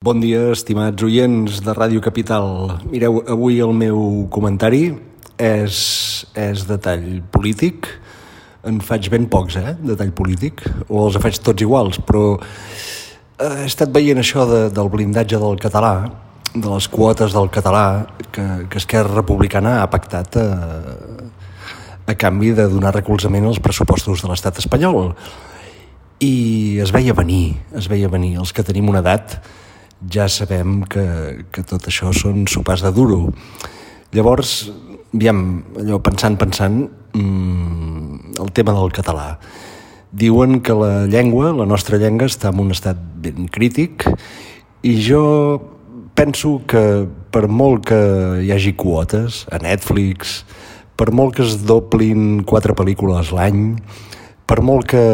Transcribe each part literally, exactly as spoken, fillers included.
Bon dia, estimats oients de Ràdio Capital. Mireu, avui el meu comentari és, és de tall polític. En faig ben pocs, eh, de tall polític, o els faig tots iguals, però he estat veient això de, del blindatge del català, de les quotes del català, que, que Esquerra Republicana ha pactat a, a canvi de donar recolzament als pressupostos de l'estat espanyol. I es veia venir, es veia venir. Els que tenim una edat ja sabem que, que tot això són sopars de duro. Llavors, aviam, allò pensant, pensant, mmm, el tema del català. Diuen que la llengua, la nostra llengua, està en un estat ben crític i jo penso que per molt que hi hagi quotes a Netflix, per molt que es doblin quatre pel·lícules l'any, per molt que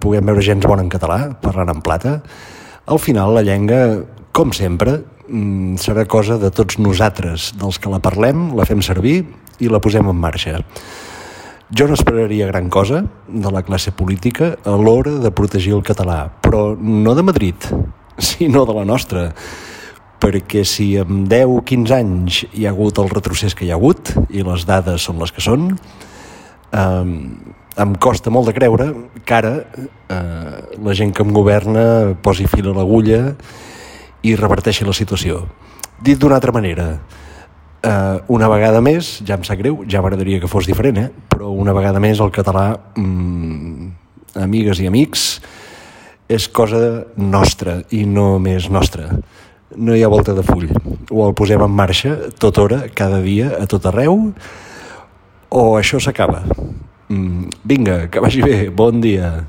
puguem veure gens bona en català, parlant en plata, al final la llengua, com sempre, serà cosa de tots nosaltres, dels que la parlem, la fem servir i la posem en marxa. Jo no esperaria gran cosa de la classe política a l'hora de protegir el català, però no de Madrid, sinó de la nostra, perquè si en deu o quinze anys hi ha hagut el retrocés que hi ha hagut, i les dades són les que són, eh, em costa molt de creure que ara eh, la gent que em governa posi fil a l'agulla i reverteixi la situació. Dit d'una altra manera, eh, una vegada més, ja em sap greu, ja m'agradaria que fos diferent, eh? Però una vegada més el català, mm, amigues i amics, és cosa nostra i no més nostra. No hi ha volta de full. O el posem en marxa tota hora, cada dia, a tot arreu, o això s'acaba. Mm, vinga, que vagi bé, bon dia.